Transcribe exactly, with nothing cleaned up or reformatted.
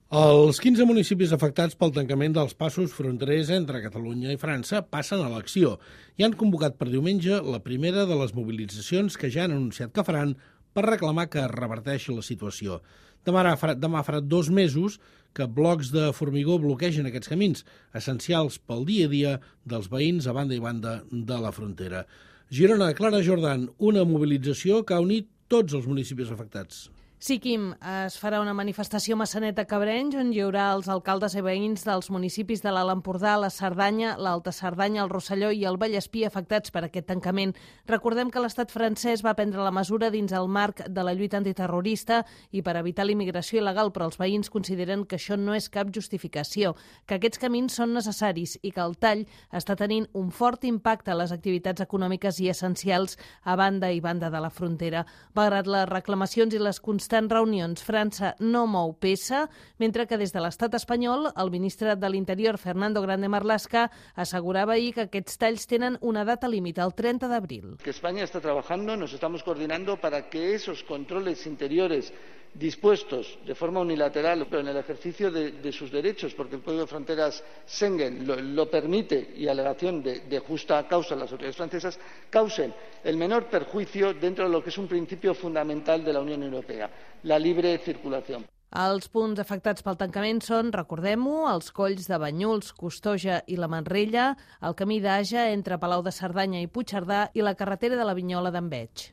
Els quinze municipis afectats pel tancament dels passos fronterers entre Catalunya i França passen a l'acció i han convocat per diumenge la primera de les mobilitzacions que ja han anunciat que faran per reclamar que es reverteixi la situació. Demà farà, demà farà dos mesos que blocs de formigó bloquegen aquests camins, essencials pel dia a dia dels veïns a banda i banda de la frontera. Girona, Clara Jordan, una mobilització que ha unit tots els municipis afectats. Sí, Quim, es farà una manifestació a Maçanet de Cabrenys on hi haurà els alcaldes i veïns dels municipis de l'Alt Empordà, la Cerdanya, l'Alta Cerdanya, el Rosselló i el Vallespí afectats per aquest tancament. Recordem que l'estat francès va prendre la mesura dins el marc de la lluita antiterrorista i per evitar l'immigració il·legal, però els veïns consideren que això no és cap justificació, que aquests camins són necessaris i que el tall està tenint un fort impacte a les activitats econòmiques i essencials a banda i banda de la frontera. Malgrat les reclamacions i les constants reunions, França no mou peça, mentre que des de l'estat espanyol el ministre de l'Interior, Fernando Grande Marlaska, assegurava ahir que aquests talls tenen una data límit, el treinta d'abril. Que España está trabajando, nos estamos coordinando para que esos controles interiores dispuestos de forma unilateral, pero en el ejercicio de, de sus derechos, porque el Código de Fronteras Schengen lo, lo permite y a alegación de, de justa causa las autoridades francesas, causen el menor perjuicio dentro de lo que es un principio fundamental de la Unión Europea, la libre circulación. Els punts afectats pel tancament són, recordem-ho, els colls de Banyuls, Costoja i la Manrella, el camí d'Aja entre Palau de Cerdanya i Puigcerdà i la carretera de la Vinyola d'Enveig.